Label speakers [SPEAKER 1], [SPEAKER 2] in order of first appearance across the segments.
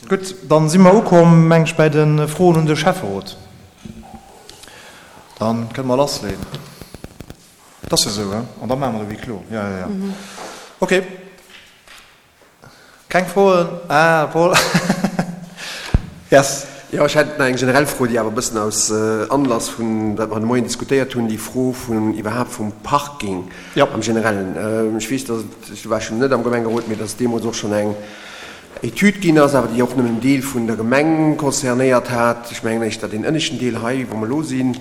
[SPEAKER 1] Gutt, dann si mer ukomm, meng ech, bäi de Froen un de Schäfferot. Da kënne mer lassleeën. Et ass jo esou, hein? An da maache mer de Huis clos. Jo, jo, jo. Okay. Keng Froen? Ah, Paul. Yes.
[SPEAKER 2] Jo, ech hätt nach eng generell Fro, déi awer e bëssen aus Anlass vun wat mer de Moien diskutéiert hunn, déi Fro vun iwwerhaapt vum Parking am Generellen. Ech weess, datt et, ech war schonn net am Gemengerot, mee datt et deemools och schonn eng Etüd ginn ass, awer déi och nëmmen en Deel vun der Gemeng concernéiert hat. Ech mengen éischter deen ënneschten Deel hei, wou mer elo sinn,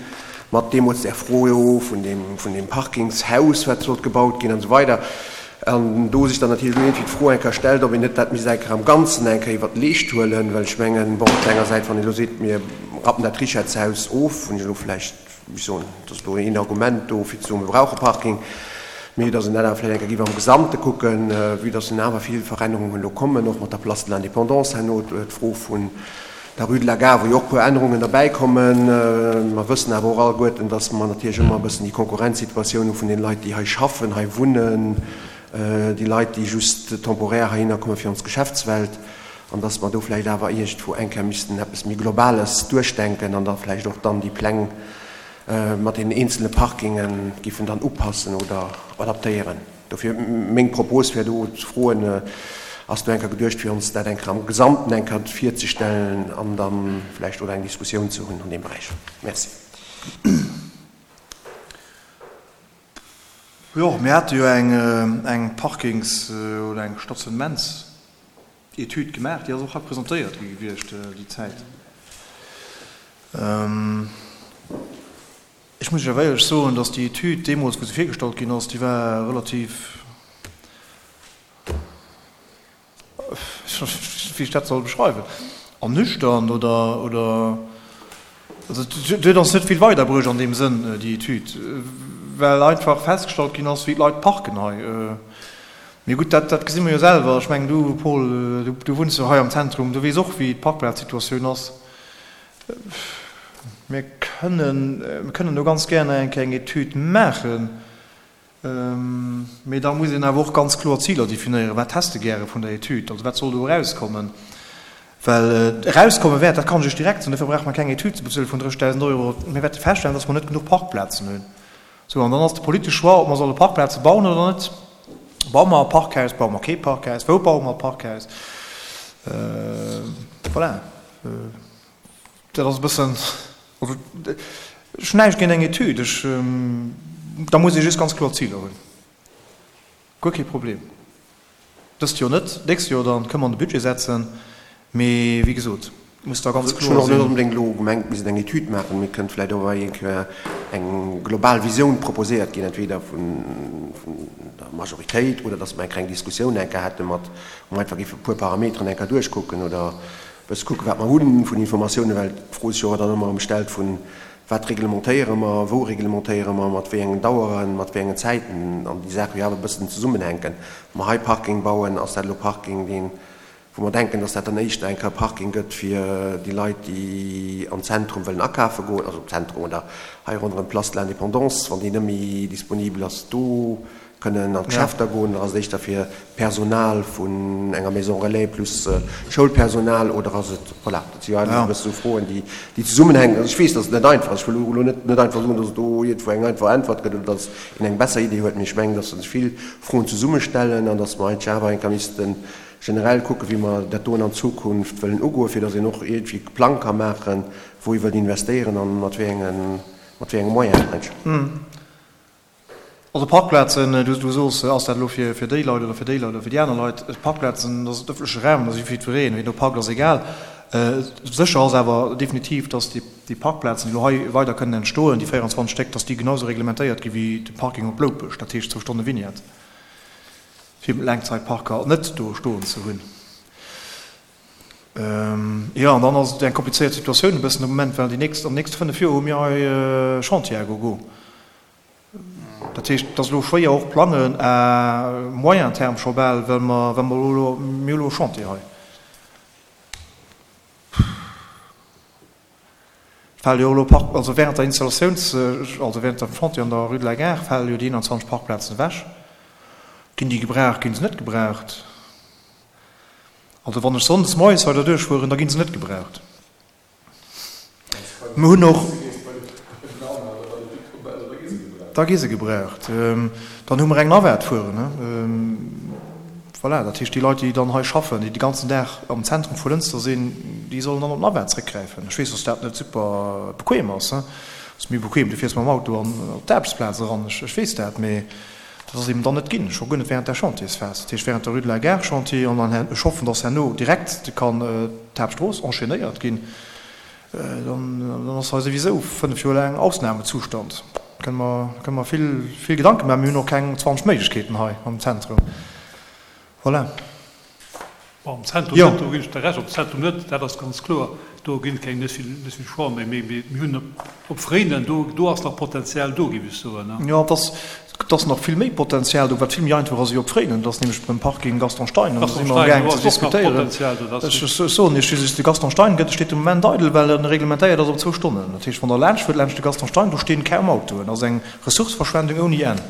[SPEAKER 2] mat deemools där Fro jo vun deem, vun deem Parkingshaus, wat sollt gebaut ginn an esou weider. An do sech dann natierlech elo iergendwéi d'Fro eng Kéier stellt, ob een net dat misst eng Kéier am Ganzen eng Kéier iwwert d'Leescht huelen, well ech mengen, bon, op der enger Säit, wann een elo seet, mir rappen dat Richetshaus of, hunn ech elo vläicht, wéi ech soen, et ass elo een Argument do, fir ze soen, mir brauche Parking, mee datt een dat awer vläicht eng Kéier géif am Gesamte kucken, vue datt en awer vill Verännerungen elo kommen, och mat der Place de l'Indépendance herno, d'Fro vun der Rue de la Gare, wou jo och e puer Ännerungen derbäikommen. Mer wëssen awer och alleguerten, datt mer natierlech ëmmer e bëssen déi Konkurrenzsituatioun hu vun den Leit, déi hei schaffen, hei wunnen, déi Leit, déi just temporaire heihinner komme fir ons Geschäftswelt, an datt mer do vläicht awer iergendwou eng Kéier missten eppes méi Globales duerchdenken an da vläicht och dann déi Pläng mat deenen eenzele Parkinge giffen dann upassen oder adaptéieren. Dofir meng Propos wär do ze froen, Ass do eng Kéier geduecht fir ons dat eng Kéier am Gesamten eng Kéier virzestellen an da vläicht oder eng Diskussioun ze hunn an deem Beräich? Merci.
[SPEAKER 1] Jo, mir hate jo eng Parkings oder eng Stationnementsetüd gemaach, déi ass och hei presentéiert gi gewiescht déi Zäit. Ech muss Iech awer éierlech soen, dass déi Etüd deemools, wou se virgestallt ginn ass, déi war relativ, wéi ech dat soll beschreiwen, ernüchternd oder, oder, also et huet ons net vill weiderbruecht an deem Sënn, déi Etüd, well einfach festgestallt ginn ass, wéi d'Leit parken hei. Mee gutt, dat, dat gesi mer jo selwer. Ech mengen, du Paul, du, du wunns jo hei am Zentrum, du weess och, wéi d'Parkplazsituatioun ass. Mir kënnen, mir kënnen do ganz gär nach eng Kéier eng Etüd maachen, mee da muss een awer och ganz kloer Ziler definéieren. Wat häss de gäre vun der Etüd? Also wat soll do erauskommen? Well erauskomme wäert, dat kann ech Iech direkt soen, dofir brauche mer keng Etüd ze bezuele vun 30.000 Euro, mir wäerte feststellen, dass mer net genuch Parkplazen hunn. Sou, an dann ass de politesche Choix, ob mer solle Parkplaze bauen oder net. Baue mer e Parkhaus, baue mer kee Parkhaus, wou baue mer e Parkhaus? Voilà. Dat ass e bëssen, also ech hunn näischt géint eng Etüd, ech, da muss ee just ganz kloer Ziler hunn. Guer kee Problem. Dëst Joer net, d'nächst Joer dann kënne mer an de Budget setzen, mee wéi gesot, et muss da ganz
[SPEAKER 2] kloer sinn. Ech hunn och net onbedéngt elo gemengt, mir missten eng Etüd maachen, mee et kënnt vläicht och eng Kéier eng global Visioun proposéiert ginn, entweder vun der Majoritéit oder datt mer eng kleng Diskussioun eng Kéier hätte mat, wou mer einfach géife e puer Parameteren eng Kéier duerchkucken oder e bësse kucken, wat mer hu vun Informatiounen, well d'Fro sech jo och dann ëmmer erëm stellt vun, Wat reglementéiere mer, wou reglementéiere mer, mat wéi engen Daueren, mat wéi engen Zäiten, an déi Saache jo awer e bëssen zesummenhänken. Wa mer hei Parking bauen, ass dat elo Parking, deen, wou mer denken, dass dat dann éischter eng Kéier Parking gëtt fir déi Leit, déi am Zentrum wëllen akafe goen, also am Zentrum oder hei ronderëm d'Place de l'Indépendance, wann déi net méi disponibel ass, do kënnen an d'Geschäfter goen, oder ass et éischter fir d'Personal vun enger Maison relais plus Schoulpersonal, oder ass et, voilà, dat si jo einfach e bësse sou Froen, déi zesummenhänken. Also ech weess, dass et net einfach ass. Ech wëll elo net net einfach soen, dass et do iergendwou eng einfach Äntwert gëtt oder dass een eng besser Idee huet, mee ech mengen, dass sech vill Froen zesummestellen an dass mer eigentlech awer eng Kéier misste generell kucken, wéi mer dat doen an Zukunft wëllen ugoen, fir dass een och iergendwéi e Plang ka maachen, wou ee wëllt investéieren an mat wéi enge mat wéi enge Moyenen eigentlech.
[SPEAKER 1] Also Parkplazen, du soos, ass dat elo fir déi Leit oder fir déi Leit oder fir déi aner Leit? Parkplazen, dat ass ëffentleche Raum, dat ass fir jiddwereen. Wien do parkt, ass egal. Sécher ass awer definitiv, datt déi Parkplazen, déi elo hei weider kënnen entstoen, déi 24 Stéck, datt déi genau esou reglementéiert gi wéi de Parking op Loupech, dat heescht zwou Stonne Vignette, fir Laangzeitparker net do stoen ze hunn. Jo, an dann ass et eng komplizéiert Situatioun e bëssen de Moment, well déi nächst, an den nächste 5 Joer hu mir hei Chantier à gogo. Dat heescht, et ass elo schwéier och plangen à moyen terme scho bal, well mer, well mer elo, mir hu elo e Chantier hei. Et fale jo elo Park, also während der Installatiouns, also während dem Chantier an der Rue de la Gare fale jo déi 21 Parkplazen ewech. Ginn déi gebraucht, ginn se net gebraucht? Also wann ech sonndes moies hei derduerch fueren, da gi se net gebraucht. Mir hunn och. Da gi se gebraucht. Dann hu mer eng Navette fueren. Voilà, dat heescht, déi Leit, déi dann hei schaffen, déi de ganzen Dag am Zentrum vu Lënster sinn, déi sollen dann op d'Navette zréckgräifen. Ech weess, dass dat net super bequem ass. Et ass méi bequem, du fiers mam Auto an op d'Aarbechtsplaz eran, ech weess dat, mee dat ass eben dann net ginn, scho guer net während der Chantiersphas, dat heescht während der Rue de la Gare Chantier. An dann, ech hoffen, dass herno direkt kann d'Haaptstrooss enchaînéiert ginn. Dann ass hei souwisou 5 Joer laang Ausnahmezustand. Kënne mer, kënne mer vill, vill Gedanke maachen. Mir hunn och keng 20 Méiglechkeeten hei am Zentrum. Voilà.
[SPEAKER 3] Bon, am Zentrum net, do ginn ech der Recht, am Zentrum net, dat ass ganz kloer. Do ginn et keng, net vill, net vill Choix méi. Mee mir hunn op Fréinen, do, do ass nach Potenzial do, géif ech soen.
[SPEAKER 1] Jo, et ass, Et ass nach vill méi Potenzial do, wat vill méi einfach ass ewéi op Fréinen. Dat ass nämlech beim Parking Gaston Stein. An do si mer amgaang ze diskutéieren. Ech soen Iech just, de Gaston Stein gëtt, steet de Moment eidel, well en reglementéiert ass op zwou Stonnen. Dat heescht, wann Der laanscht fuert, laanscht de Gaston Stein, do stinn kaum Autoen. Dat ass eng Ressourceverschwendung ouni Enn.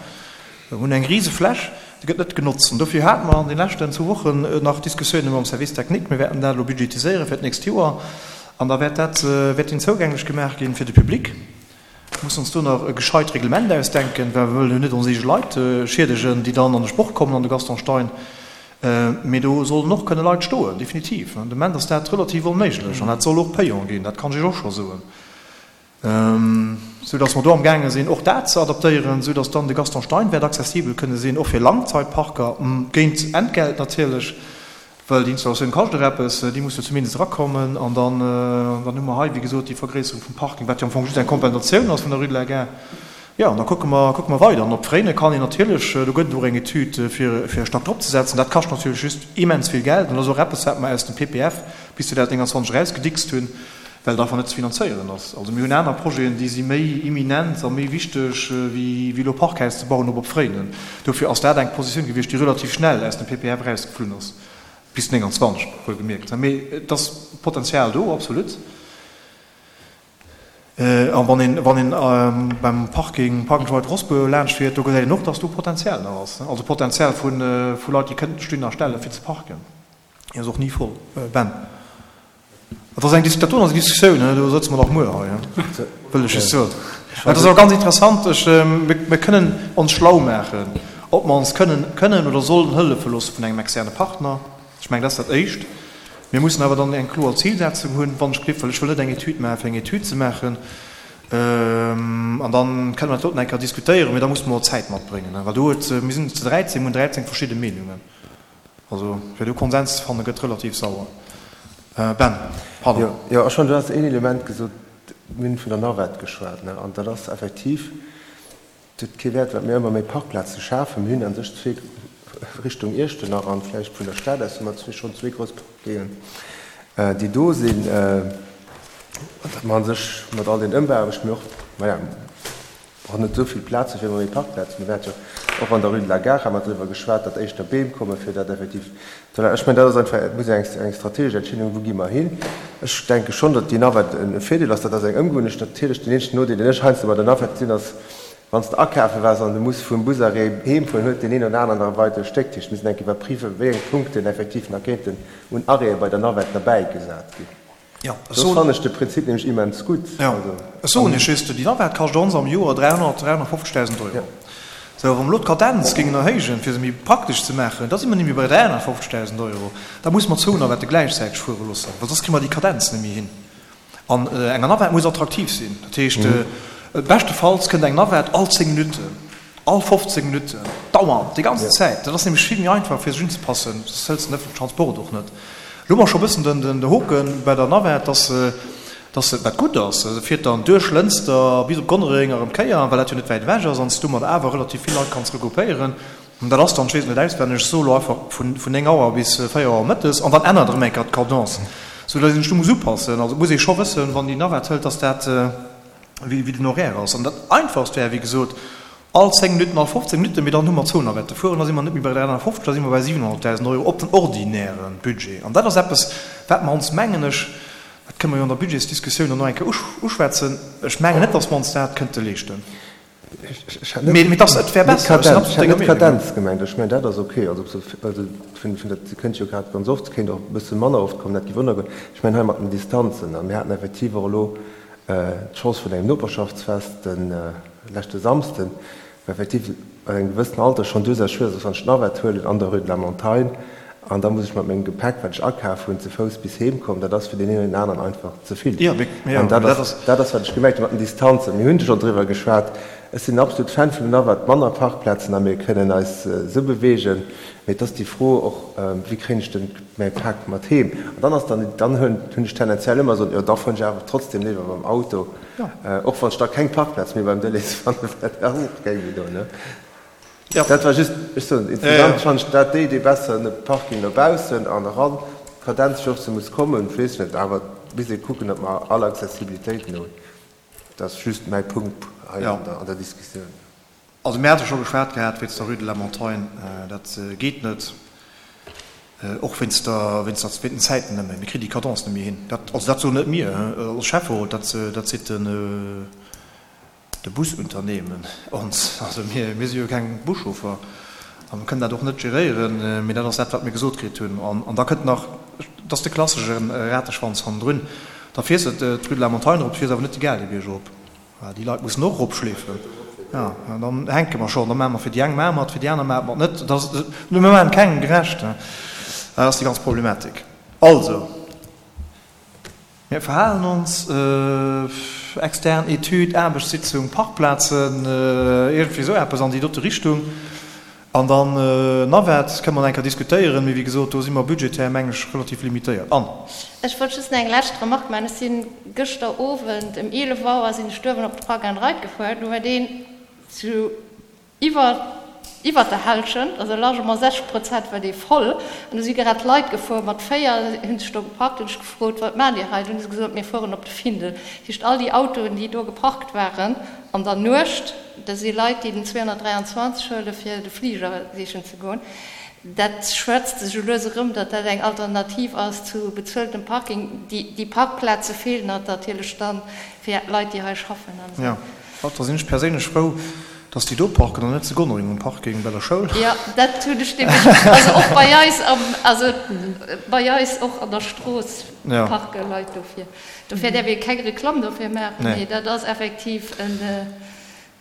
[SPEAKER 1] Mir hunn eng rise Fläch, déi gëtt net genotzt. An dofir hate mer an de leschten zwou Wochen nach Diskussiounen mam Service technique. Mir wäerten dat elo budgetiséiere fir d'nächst Joer. An da wäert dat, wäert deen zougänglech gemaach ginn fir de Public. Mussen ons do nach e gescheit Reglement ausdenken, well mir wëllen jo net ons eege Leit schiedegen, déi dann an de Sport kommen an de Gaston Stein. Mee do sollen och kënne Leit stoen, definitiv. De Moment ass dat relativ onméiglech an dat soll och payant ginn, dat kann ech Iech och scho soen. Sou datt mer do amgaange sinn, och dat ze adaptéieren, sou datt dann de Gaston Stein wäert accessibel kënne sinn, och fir Langzeitparker, géint Entgelt natierlech. Well déi Installatioun kascht och eppes, déi muss jo zumindest erakommen. An dann, dann hu mer hei, wéi gesot, déi Vergréisserung vum Parking, wat jo am Fong just eng Kompensatioun ass vun der Rue de la Gare. Jo, an da kucke mer, kucke mer weider. An op Fréine kann een natierlech, do gëtt et och eng Etüd, fir, fir e Stack dropzesetzen. Dat kascht natierlech just immens vill Geld an dat ass och eppes, wat mer aus dem PPF bis 2029 erausgedickst hunn, well et einfach net ze finanzéieren ass. Also mir hunn aner Projeten, déi si méi imminent a méi wichteg, wéi wéi elo Parkhaus ze bauen op op Fréinen. Dofir ass dat eng Positioun gewiescht, déi relativ schnell aus dem PPF erausgeflunn ass, bis 29 wuelgemierkt. Mee et ass Potenzial do, absolut. A wann een wann een beim Parking Park and Ride Rossbur laanscht fiert, do gesäit een och, datt do Potenzial nach ass. Also Potenzial vu vu Leit, déi kënnten Stinn a stelle fir ze parken. Déi ass och ni voll. Ben. Dat ass eng Dis, dat do ass eng Diskussioun, do sëtze mer nach muer hei, wëll ech just soen. Dat ass awer ganz interessant. Ech, mir kënnen ons schlau maachen, ob mer ons kënnen, kënnen oder sollen hëllefe loosse vun engem externe Partner. Ech mengen, dat ass dat Éischt. Mir mussen awer dann eng kloer Zilsetzung hunn, wann ech gleef, well ech wëll net eng Etüd maachen, fir eng Etüd ze maachen. An da kënnen mer dat doten eng Kéier diskutéieren, mee da musse mer och Zäit matbréngen, well do huet, mir sinn zu 13, mir hunn 13 verschidde Meenungen. Also fir do Konsens ze fanne gëtt relativ sauer. Ben, pardon.
[SPEAKER 2] Jo, ech fannen, du has een Element gesot, mir hunn vun der Navette geschwat, ne, an dat ass effektiv, et huet kee Wäert, wat mir ëmmer méi Parkplaze schafen. Mir hunn a sech zwee Richtung Iechternach an vläicht vun der Stad aus hu mer zwee schonn zwee grouss Parkingen, déi do sinn, an datt mer a sech mat all den Ëmbauaarbechten, mee och, maja, Och net esou vill Plaze fir méi Parkplazen. Mir hat jo och an der Rue de la Gare ha mer driwwer geschwat, datt éischter Beem komme fir dat effektiv ze erlaben. Ech mengen, dat ass einfach, et muss eng eng strategesch Entscheedung, wou gi mer hin. Ech denke schonn, datt déi Navette e Virdeel ass. Dat ass eng Ëmgewunnecht. Natierlech den eenzegen Nodeel, deen ech heiansdo bei der Navette gesinn, ass, wann s de akafe waars an de muss vum Busarrêt heem fueren, huet deen een oder aneren nach e weidere Stéck. Dat heescht, mir sinn enk iwwerpriwwen, wéi eng Punkten effektiv nach kéinten un Arrêtë bei der Navette derbäigesat ginn.
[SPEAKER 1] Jo,
[SPEAKER 2] ech soen. Do fannen ech de Prinzip nämlech immens gutt.
[SPEAKER 1] Jo, ech soen Iech just, déi Navette kascht ons am Joer 300, 350.000 Euro. Sou, wa mer elo d'Kadenz géingen erhéijen, fir se méi praktesch ze maachen, da si mer nemmi bei 350.000 Euro. Da musse mer zwou Navette gläichzäiteg fuere loossen, well soss kréie mer déi Kadenz net méi hin. An enger Navette muss attraktiv sinn. Dat heescht, beschtefalls kënnt eng Navette all 10 Minutten. All 15 Minutten, dauernd, déi ganze Zäit. Dat ass nämlech vill méi einfach, fir sech unzepassen. Soss hëls de den ëffentlechen Transport och net. Elo hu mer scho e bëssen den Hoke bei der Navette, dass se, dass se, wat gutt ass, se fiert dann duerch Lënster bis op Gonnereng a rëm d'Kéier, well dat jo net wäit ewech ass an s du domat awer relativ vill Leit kanns regroupéieren. An dat ass dann, ech weess et net auswenneg, ech soe lo einfach vun 9 Auer bis 4 Auer mëttes an dann ännert erëm eng Kéier d'Cadence, soudass een sech do muss upassen. Also et muss ee scho wëssen, wann déi Navette hëlt, dass dat, wéi den Horaire ass. An dat Einfachst wär, wéi gesot, all 10 Minutten, all 15 Minutten, mee dann hu mer zwou Navette fueren, da si mer net méi bei 350, da si mer bei 700.000 Euro op den ordinäre Budget. An dat ass eppes, wat mer ons, mengen ech, dat kënne mer jo an der Budgetsdiskussioun dann nach eng Kéier uschwätzen, ech mengen net, datt mer ons dat kënnte leeschten. Mee et ass, et wär besser, ech sinn absolut denger
[SPEAKER 4] Meenung. Kadenz gemengt, ech mengen dat ass ok. Also ob se, also vun vun dat kënnt jo grad ganz oft, kéint och e bësse manner oft kommen, dat géif ënnergoen. Ech mengen hei mat den Distanzen, a mir haten effektiv och elo d'Chance vun engem Noperschaftsfest de leschte Samsden, wou effektiv bei engem gewëssenen Alter schonn duerchaus schwiereg ass, wann ech d'Navette huelen an der Rue de la Montagne an da muss ech mat mengem Gepäck, wat ech akaf hunn, ze Fouss bis heem kommen, dat ass fir deen een oder deen aneren einfach ze vill. An dat ass, dat ass wat ech gemengt hu mat den Distanzen. Mir hunn schonn driwwer geschwat. Ech sinn en absolut Fan vun der Navette, manner Parkplazen a mir kënnen eis esou beweegen. Mee et ass déi Fro och, wéi kréien ech den mäi Pak mat heem? An dann ass dann, dann hunn ech tendenziell ëmmer esou, jo da fueren ech awer trotzdem léiwer mam Auto. Och wann ech da keng Parkplaz méi beim Delhaize fannen, well dat ass och keng méi do, ne? Dat war just, ech soen, insgesamt fannen ech dat déi Idee besser, e Parking no baussen an eran, d'Kadenz fir och se muss kommen, weess ech net, awer et misst ee kucken, datt mer all Accessibilitéiten hunn. Dat ass just mäi Punkt hei an der Diskussioun.
[SPEAKER 1] Also mir hate scho geschwat gehat wéinst der Rue de la Montagne, dat geet net, och wéinst der, wéinst der, wéint den Zäiten net méi. Mir kritt déi Cadence net méi hin. Dat, also dat soen net mir als Schäfferot, dat, dat seet den, de Busunternehmen ons. Also mir, mir si jo keng Buschauffer a mir kënnen dat och net geréieren, mee dat ass dat, wat mir gesot kritt hunn. An, an da kënnt nach, dat ass de klassesche Rateschwanz hannendrun, da fiers de d'Rue de la Montagne erop, fiers awer net de Gaalgebierg erop. Déi Leit mussen och eropschleefen. Jo, an dann hänke mer schonn. Da maache mer fir déi eng maache mer et, fir déi aner maache mer et net. Dat ass, mir maachen et kengem gerecht. Dat ass déi ganz Problematik. Also, mir verhalen ons, extern Etüd, Aarbechtssitzung, Parkplazen, iergendwéi esou eppes an déi dote Richtung. An dann Navette kënne mer nach eng Kéier diskutéieren, mee wéi gesot, do si mer budgetär, meng ech, relativ limitéiert. Anne.
[SPEAKER 5] Ech wollt just nach eng lescht Remarque maachen. Ech si gëschter Owend ëm 11 Auer sinn ech duerwen op de Park and Ride gefuer. Do war deen zu iwwer iwwer der Hallschent, also largement 60 Prozent war dee voll. An do si grad Leit gefuer mat 4, hu sech do geparkt. Hunn ech gefrot, Wat maacht Dir hei? Dunn hu se gesot, Mir fueren op de Findel. Dat heescht, all déi Autoen, déi do geparkt waren an der Nuecht, Dat si Leit, déi den 223 huele fir de Fliger sichen ze goen. Dat schwätzt sech elo lues erëm, datt dat eng Alternativ ass zu bezueltem Parking. Déi Parkplaze feelen natierlech dann fir Leit, déi hei schaffen an
[SPEAKER 1] esou. Jo, da sinn ech perséinlech frou, datt déi do parken an net zu Gonnereng um Parking bei der Schoul.
[SPEAKER 5] Jo, dat hunn ech nämlech, also och bei eis am, also bei eis och an der Strooss parke Leit dofir. Dofir däerf ee keng Reklamm dofir maachen, mee dat ass effektiv en,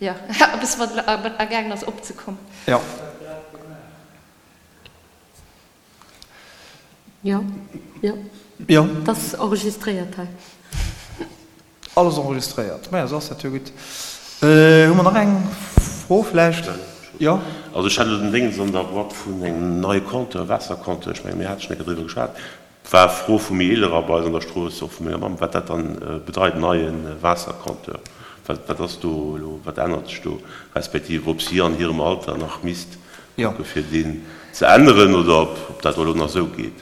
[SPEAKER 5] jo, eppes wat agaangen ass opzekommen.
[SPEAKER 1] Jo.
[SPEAKER 6] Jo, jo. Jo. Et ass enregistréiert hei.
[SPEAKER 1] Alles enregistréiert. Maja, esou ass dat jo gutt. Hu mer nach eng Fro vläicht? Jo.
[SPEAKER 7] Also ech hat elo den Déngens an der Boîte vun engem neie Compteur, Waassercompteur, ech menge mir hate schonn eng Kéier driwwer geschwat, War Fro vu méi Eelerer bei eis an der Strooss, och vu menger Mamm, wat dat dann bedeit, neie Waassercompteur. Wat, wat ass do elo, wat ännert sech do, respektiv ob si an hirem Alter nach misst kucke fir deen ze änneren oder ob, ob dat elo nach esou geet.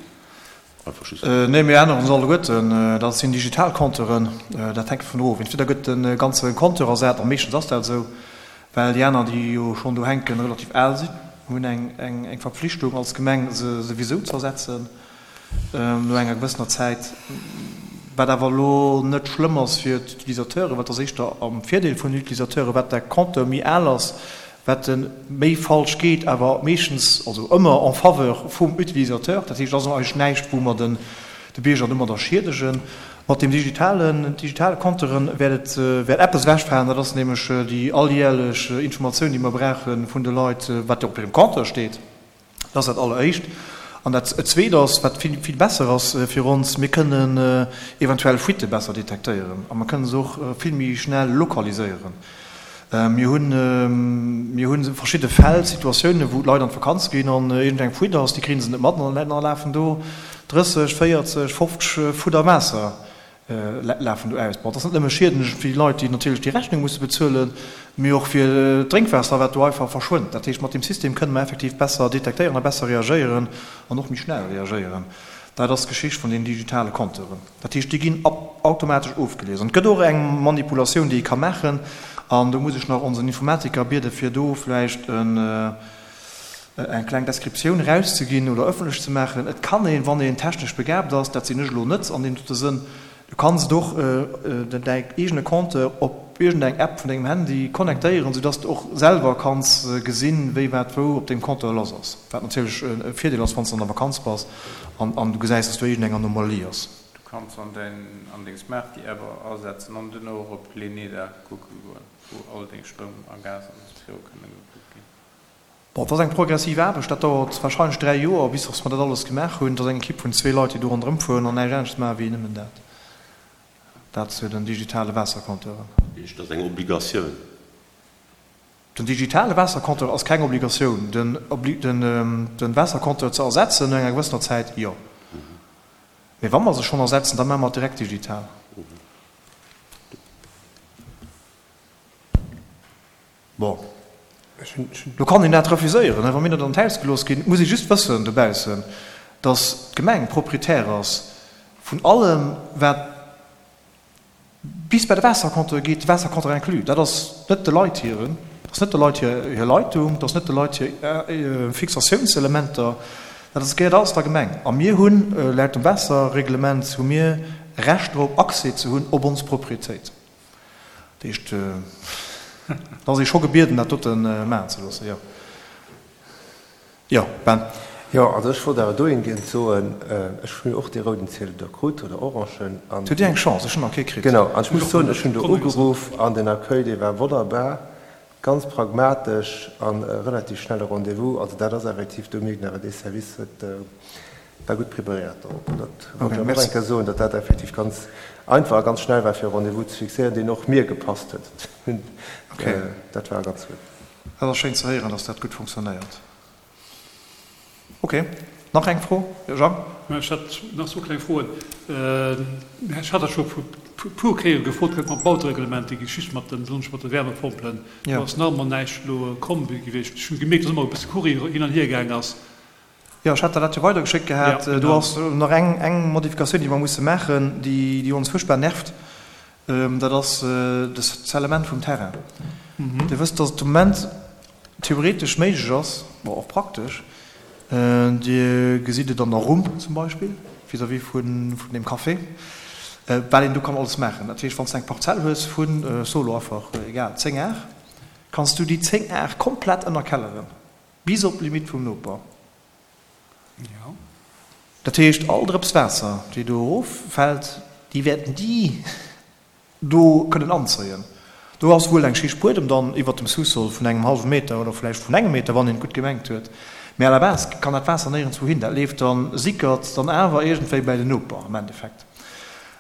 [SPEAKER 1] Einfach just. Nee, mir änneren se alleguerten. Dat sinn digital Compteuren, dat hänkt dovun of. Entweder gëtt de ganze Compteur ersat, a meeschtens ass dat esou, well déi aner, déi jo schonn do hänken, relativ al sinn. Mir hunn eng, eng Verpflichtung als Gemeng, se souwisou ze ersetzen. no enger gewëssener Zäit, wat awer elo net schlëmm ass fir d'Utilisateuren, wat ass éischter am Virdeel vun den Utilisateuren, wat de Compteur méi al ass, wat e méi falsch geet, awer meeschtens, also ëmmer en faveur vum Utilisateur. Dat heescht, et ass eigentlech näischt, wou mer den de Bierger domadder schiedegen. Mat deem digitalen, digitale Compteuren wäert et, wäert eppes ewechfalen, dat ass nämlech déi alljährlech Informatioun, déi mer brauche vun de Leit, wat jo op hirem Compteur steet. Dat ass dat Alleréischt. An dat Zweet ass, wat vill, vill besser ass fir ons, Mir kënnen eventuell Fuitte besser detektéieren a mer kënnen se och vill méi schnell lokaliséieren. Mir hunn, mir hu verschidde Fäll, Situatiounen, wou d'Leit an d'Vakanz ginn an iergendeng Fuite ass, déi kréie se net mat an da lafen do 30, 40, 50 Fudder Waasser lafen do aus. Bon, et ass net nëmme schiedlech fir déi Leit, déi natierlech déi Rechnung musse bezuelen, mee och fir d'Drénkwaasser, wat do einfach verschwënnt. Dat heescht, mat deem System kënne mer effektiv besser detektéieren a besser reagéieren an och méi schnell reagéieren. Dat ass d'Geschicht vun den digitale Compteuren. Dat heescht, déi ginn automatesch ofgelies. An et gëtt och eng Manipulatioun, déi ee ka maachen, an do muss ech nach onsen Informatiker biede fir do vläicht en, eng kleng Descriptioun erauszeginn oder ëffentlech ze maachen. Et kann een, wann een technesch begaabt ass, dat sinn ech elo net an deem dote Sënn, du kanns et och däi eegene Compteur op. op iergendeng App vun dengem Handy connectéieren, soudass de och selwer kanns gesinn, wéi wat wou op dengem Compteur lass ass. Wat natierlech e Virdeel ass, wann s de an der Vakanz bass an du gesäis, dass do iergendeng Anomalie ass.
[SPEAKER 8] Du kanns an däin an deng Smarty-App asetzen an duerno och op l'Eneda kucke goen, wou all deng Stroum a Gas an esou viru kënne gekuckt ginn.
[SPEAKER 1] Bon, et ass eng progressiv Aarbecht, dat dauert wahrscheinlech 3 Joer, bis dass mer dat alles gemaach hunn. Et ass eng Equipe vun zwee Leit, déi do ronderëm fueren an näischt anescht maachen, wéi nëmmen dat. Dat zu den digitale Waassercompteuren.
[SPEAKER 7] Heescht, dat ass eng Obligatioun?
[SPEAKER 1] Den digitale Waassercompteur ass keng Obligatioun. Den Waassercompteur ze ersetzen no enger gewëssener Zäit, jo. Mee wa mer se schonn ersetzen, da maache mer et direkt digital. Bon, lo kann een dat refuséieren, wa mir dat an d'Haus gelooss ginn. Et muss ee just wëssen dobaussen, datt d'Gemeng Proprietär ass vun allem, wat bis bei de Waassercompteur geet, de Waassercompteur inclus. Dat ass net de Leit hiren, dat ass net de Leit hir Leitung, dat ass net de Leit hir Fixatiounselementer, dat ass gehéiert alles der Gemeng. A mir hunn, laut dem Waasserreglement hu mir Recht drop, Accès ze hunn op ons Proprietéit. Dat heescht, et ass ee scho gebieden, dat dote maachen ze loossen, jo. Jo, Ben?
[SPEAKER 4] Jo, also ech wollt awer dohingehend soen, ech hunn och dee rouden Ziedel do krut, oder orangen, an.
[SPEAKER 1] Hutt Dir eng Chance, ech hunn nach kee kritt.
[SPEAKER 4] Genau, an ech muss soen, ech hunn do ugeruff an den Accueil, dee war wonnerbar, ganz pragmatesch an e relativ schnelle Rendez-vous. Also dat ass effektiv, do mierkt een awer, dee Service huet, war gutt preparéiert dorop. An dat wollt ech awer och eng Kéier soen, datt dat effektiv ganz einfach a ganz schnell war, fir e Rendez-vous ze fixéieren, deen och mir gepasst huet. Dat war ganz gutt.
[SPEAKER 1] Dat ass schéin ze héieren, datt dat gutt funktionéiert. Ok, nach eng Fro? Jo, Jang?
[SPEAKER 3] Ech hätt nach zwou kleng Froen. Ech hat dat scho e puer Kéiere gefrot gehat mam Bautereglement, déi Geschicht mat den, besonnesch mat de Wärmepompelen. Do ass nach ëmmer näischt elo komm gewiescht. Ech hunn gemierkt, datt ëmmer e bësse Courrier hin an hier gaang ass.
[SPEAKER 1] Jo, ech hat der dat jo weidergeschéckt gehat. Do ass nach eng, eng Modifikatioun, déi mer musse maachen, déi, déi ons fuerchtbar nervt. Dat ass de Scellement vum Terrain. Dir wësst, dass et de Moment theoretesch méiglech ass, bon, och praktesch, Dir gesitt et an der Rumm zum Beispill, vis-à-vis vun deem Café, wat een do kann alles maachen. Dat heescht, wann s de eng Parzell hues vun, ech soe lo einfach, egal, 10 Ar, kanns du déi 10 Ar komplett ënnerkelleren, bis op d'Limitt vum Noper. Dat heescht, all Drëps Waasser, déi do eroffält, déi wäerten déi do kënnen anzéien. Do ass wuel eng Schicht Buedem dann iwwert dem Sous-sol vun engem hallwe Meter oder vläicht vun engem Meter, wann een et gutt gemengt huet. Mee à la base kann dat Waasser néierenswou hin. Dat leeft dann, sickert dann awer iergendwéi bäi den Noper am Endeffekt.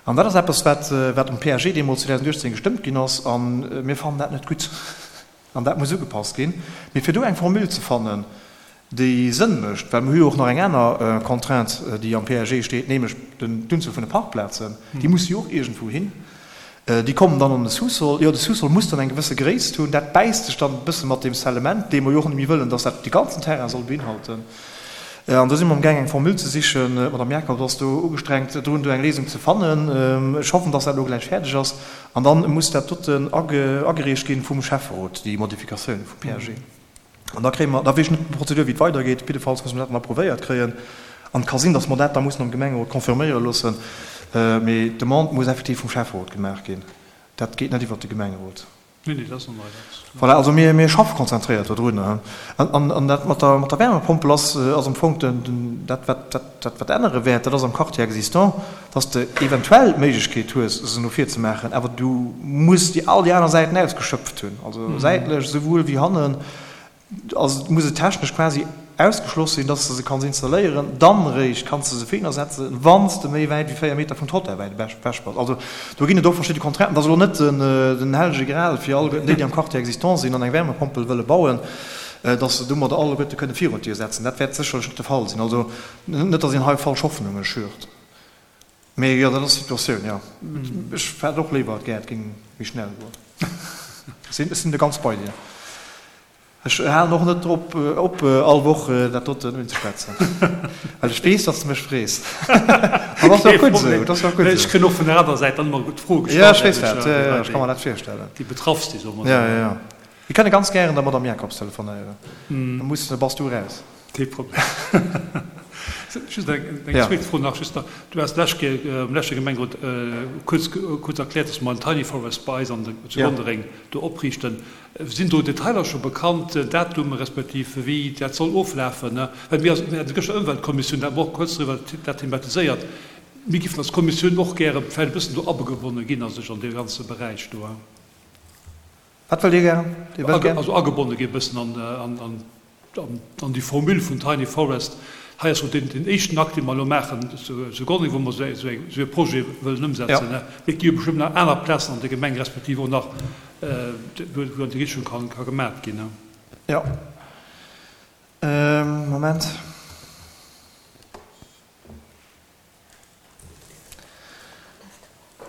[SPEAKER 1] An dat ass eppes, wat, wat um PAG deemools 2018 gestëmmt ginn ass. A mir fannen dat net gutt. An dat muss ugepasst ginn. Mee fir do eng Formule ze fannen, déi Sënn mécht, well mir hu jo och nach eng aner Contrainte, déi am PAG steet, nämlech d'Unzuel vun de Parkplazen, déi musse jo och iergendwou hin. Déi kommen dann an de Sous-sol. Jo, de Sous-sol muss dann eng gewësse Gréisst hunn. Dat bäisst sech dann e bësse mat deem Scellement, dee mer jo och net méi wëllen, dass dat de ganzen Terrain soll beinhalten. An do si mer amgaang eng Formule ze sichen. D'Madame Jacobs ass do ugestrengt drun, do eng Léisung ze fannen. Ech hoffen, dass dat elo gläich fäerdeg ass. An dann muss dat doten agereecht ginn vum Schäfferot, déi Modifikatioun vum PAG. An da kréie mer, da weess ech net d'Prozedur wéi et weidergeet, jiddefalls musse mer dat dann approuvéiert kréien. An et ka sinn, datt mer dat da mussen am Gemengerot confirméiere loossen. Mee d'Demande muss effektiv vum Schäfferot gemaach ginn. Dat geet net iwwert de Gemengerot.
[SPEAKER 3] Nee, nee, dat ass normal. Dat.
[SPEAKER 1] Voilà, also mir, mir schaffe konzentréiert dodrun. An, an dat mat der, mat der Wärmepompel ass, ass am Fong den, den, dat wat, dat, dat wat ännere wäert, dat ass am Quartier existant, dass de eventuell d'Méiglechkeet hues, se no vir ze maachen, awer du muss déi all déi aner Säiten ausgeschöpft hunn, also säitlech esouwuel wéi hannen. Also muss et technesch quasi ausgeschloss sinn, dass de se kanns installéieren, dann eréischt kanns de se virhinner setzen, wann s de méi wäit wéi 4 Meter vum Trottoir wäit ewech bass. Also do ginn et och verschidde Contrainten. Et ass elo net den hellege Gral fir alleguerten déi, déi am Quartier existant sinn an eng Wärmepompel wëlle bauen, dass se domadder alleguerte kënne virun d'Dier setzen. Dat wäert sécherlech net de Fall sinn. Also net, dass een hei falsch Hoffnunge schürt. Mee jo, dat ass d'Situatioun, jo. Ech hätt och léiwer, et gär, et géing méi schnell goen. Ech sinn do ganz bei dir. Ech halen och net drop op, all Woch dat doten unzeschwätzen, well ech weess, datt s de mech frees. An dat ass jo och gutt esou, dat ass jo och gutt esou.
[SPEAKER 3] Ech kréien och vun der anerer Säit dann ëmmer gutt Froe
[SPEAKER 1] gestallt. Jo, ech weess dat, jo, jo, ech ka mer dat virstellen.
[SPEAKER 3] Déi betraff si, soe mer
[SPEAKER 1] esou. Jo, jo, jo. Mir kënne ganz gären der Madame Jacobs telefonéieren, da muss, da bass du eraus.
[SPEAKER 3] Kee Problem. Just eng zweet Fro nach, just nach, Du has d'lescht Kéier am leschte Gemengerot kuerz kuerz erkläert, dass mer en Tiny Forest bei eis an de zu Gonnereng do opriichten. Sinn do Detailer scho bekannt, Datume respektiv wéi dat soll oflafen? Well mir mir haten gëschter Ëmweltkommissioun, da hat mer och kuerz driwwer dat thematiséiert. Mir géifen als Kommissioun och gäre vläicht e bëssen do agebonne ginn a sech an dee ganze Beräich do.
[SPEAKER 1] Wat wëllt Dir gären? Dir wëllt gär.
[SPEAKER 3] Also agebonne gi bëssen an an déi Formule vun Tiny Forest. Hei ass jo deen éischten Akt, dee mer elo maachen zu Gonnereng, wou mer esou e Projet wëllen ëmsetzen. Mee et gi jo bestëmmt nach aner Plazen an der Gemeng, respektiv och nach, wou an déi Richtung ka gemat ginn.
[SPEAKER 1] Jo. Moment.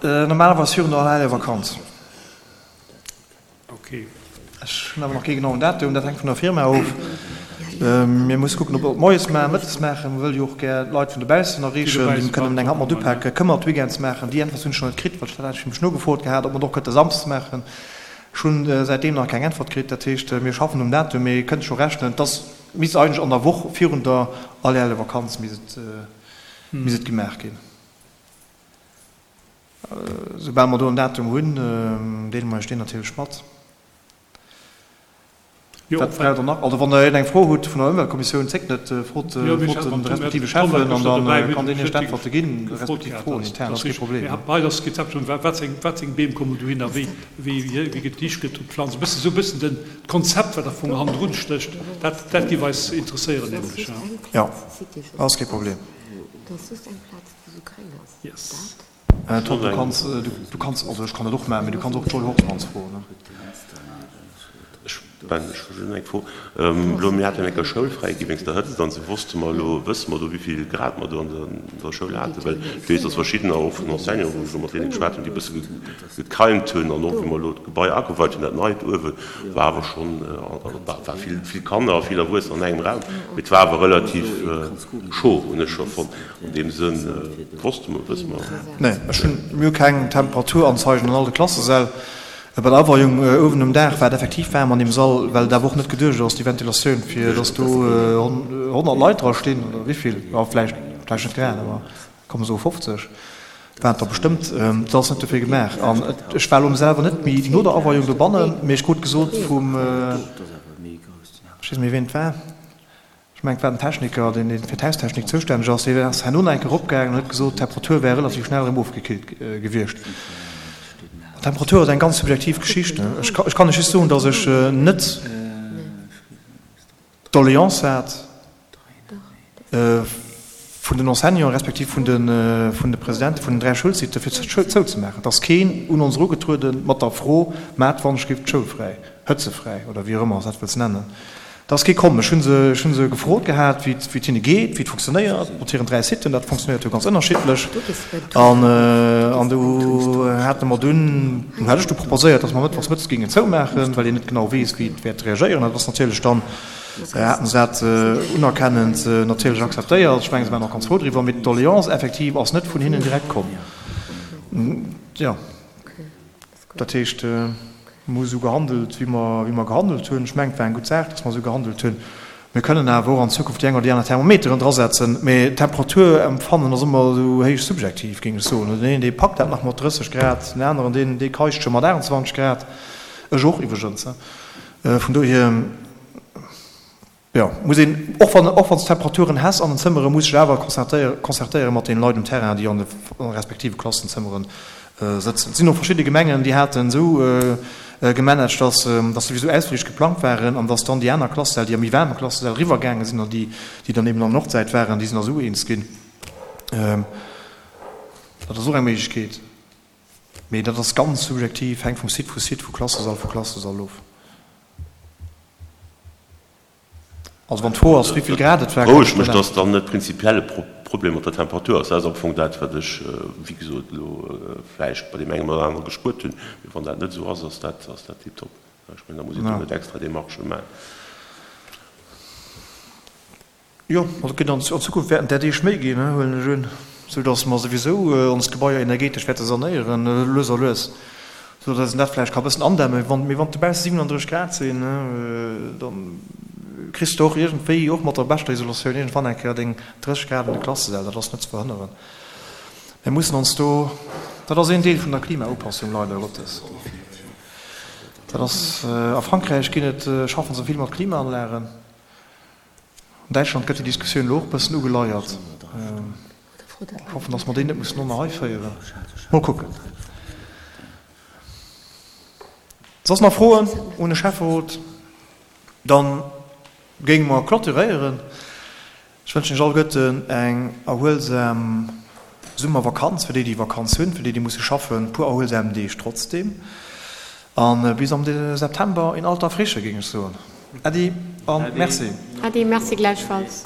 [SPEAKER 1] Normalerweis virun der Allerhelljevakanz. Ech hunn awer nach kee genauen Datum, dat hänkt vun der Firma of. Mir musse kucken, ob mer et moies maachen, mëttes maachen. Mir wëlle jo och gär d'Leit vun dobaussen erreechen, déi kënnen eng Hand mat upaken. Kënne mer et weekends maachen? Déi Äntwert hunn ech nach net kritt, well ech dat eigentlech mech nogefrot gehat, ob mer et och kënnte samsdes maachen. Ech hunn säitdeem nach keng Äntwert kritt. Dat heescht, mir schaffen um Datum, mee kënnt scho rechnen, dass misst eigentlech an der Woch virun der Allerhelljevakanz misst et misst et gemaach ginn. Soubal mer do en Datum hunn, deele mer Iech deen natierlech mat. Wat braucht Der nach? Also wann Der iergendeng Fro hutt vun der Ëmweltkommissioun, zéckt net, frot de respektive Schäffen an da kann deen Iech d'Äntwerte ginn, respektiv d'Froen intern, dat ass kee Problem. Jo, ass kee Problem. Tom, du kanns, du kanns, also ech kann dat och maachen, mee du kanns och d'Joy Horsmans froen, ne?
[SPEAKER 7] Ech, ben, ech hu just eng Fro. Elo, mir haten eng Kéier schoulfräi gi wéinst der Hëtzt an sou. Wosste mer elo, wësse mer do, wéi vill Grad mer do an der Schoul haten? Well ech weess, dass verschiddener och vun Enseignanten, wou ech elo mat deene geschwat hunn, déi e bësse gekeimt hunn an och wéi mer elo d'Gebai ageweit hunn, dat neit uewen, war awer schonn, war vill, vill Kanner a vill Erwuessener an engem Raum, mee et war awer relativ chaud, hunn ech scho fonnt. An deem Sënn, wosste mer, wësse mer.
[SPEAKER 1] Nee, ech hunn, mir hu keng Temperaturanzeigen an all de Klassesäll. Bei der Aweiung uewen um Daach war et effektiv waarm an deem Sall, well et awer och net geduecht ass, déi Ventilatioun, fir dass do 100 Leit dra stinn oder wéivill, jo vläicht, vläicht net grad, awer komm soe 50 waren et der bestëmmt. Dat ass net dofir gemaach. An ech war elo selwer net méi no der Aweiung dobannen, mee ech krut gesot vum, ech weess net méi wien et war, Ech mengen, et war den Techniker, deen fir d'Haustechnik zoustänneg ass, deen ass herno nach eng Kéier eropgaangen an huet gesot, d'Temperatur wär relativ schnell erëm ofgekillt gewiescht. D'Temperatur ass eng ganz subjektiv Geschicht. Ech kann lech just soen, datt ech net d'Doleance hat vun den Enseignanten respektiv vun de Presidente vun den 3 Schoulsiten, fir d'Schoul zouzemaachen. Et ass keen un ons erugetruede mat der Fro, Maacht wann ech géif d'Schoul fräi, hëtzefräi oder wéi och ëmmer s dat wëlls nennen. Et ass kee komm. Ech hu se, ech hu se gefrot gehat, wéi et, wéi et hinne geet, wéi et funktionéiert mat hiren 3 Siten. Dat funktionéiert jo ganz ënnerschiddlech. An, an du hate mer dunn, du hat ech du proposéiert, datt mer mëttwochs mëttes géingen zoumaachen, well een net genau weess, wéi et wäert reagéieren. Dat ass natierlech dann, haten se dat unerkennend natierlech akzeptéiert. Ech mengen, se waren och ganz frou driwwer. Mee d'Doleance effektiv ass net vun hinnen direkt komm. Jo. Dat heescht, mir hu esou gehandelt, wéi mer, wéi mer gehandelt hunn. Ech mengen, et war eng gutt Saach, dass mer esou gehandelt hunn. Mir kënnen awer och an Zukunft déi eng oder déi aner Thermometeren drasetzen. Mee d'Temperaturempfannen ass ëmmer esou héich subjektiv, géing ech soen. Den een, dee packt dat nach mat 30 Grad, den aneren, deen, dee keischt scho mat 28 Grad. Ech och iwwregens. Vun dohier. Jo, muss een, och wann, och wann s Temperaturen häss an den Zëmmeren, muss sech awer concertéiere mat deene Leit um Terrain, déi an de respektive Klassenzëmmeren sëtzen. Et sinn och verschidde Gemengen, déi haten esou gemanagt, dass, dass souwisou Ausflich geplangt waren an dass dann déi aner Klassesäll, déi a méi waarme Klassesäll eriwwergaange sinn an déi, déi dann eben an der Nordsäit waren, déi sinn da esou eens ginn. Dat ass och eng Méiglechkeet. Mee dat ass ganz subjektiv, hänkt vum Site vu Site, vu Klassesall vu Klassesall of. Also wann d'Fro ass, wéivill Grad et war,
[SPEAKER 7] kann ech mech. Dass dann net prinzipiell e Problem mat der Temperatur ass. Dat ass am Fong dat, wat ech, wéi gesot, elo vläicht bei deem engem oder anere gespuert hunn. Mee wann dat net esou ass, ass dat, ass dat tiptop. Ech mengen, da muss een do net extra Demarchë maachen.
[SPEAKER 1] Jo, also et gëtt an Zukunft wäerten där Deeg méi ginn, huelen ech un, sou datt mer souwisou ons Gebaier energetesch wäerte sanéieren, lues a lues, sou datt een dat vläicht ka bëssen andämmen. Wann, mee wann dobausse 37 Grad sinn, da. Kriss de och iergendwéi, och mat der beschter Isolatioun, iergendwann eng Kéier deng 30 Grad an de Klassesäll. Dat ass net ze verhënneren. Mir mussen ons do, dat ass een Deel vun der Klimaupassung, leider Gottes. Dat ass, a Frankräich ginn et, schaffen se vill mat Klimaanlagen. An Däitschland gëtt déi Diskussioun elo och e bëssen ugeleiert. Ech hoffen, datt mer déi net mussen och nach hei féieren. Mol kucken. Soss nach Froen un de Schäfferot? Dann géinge mer clôturéieren. Ech wënschen iech alleguerten eng erhuelsam Summervakanz, fir déi, déi Vakanz hunn, fir déi, déi musse schaffen, e puer erhuelsam Deeg trotzdeem. A bis am September in alter Frische, géing ech soen. Äddi a Merci.
[SPEAKER 6] Äddi, Merci gläichfalls.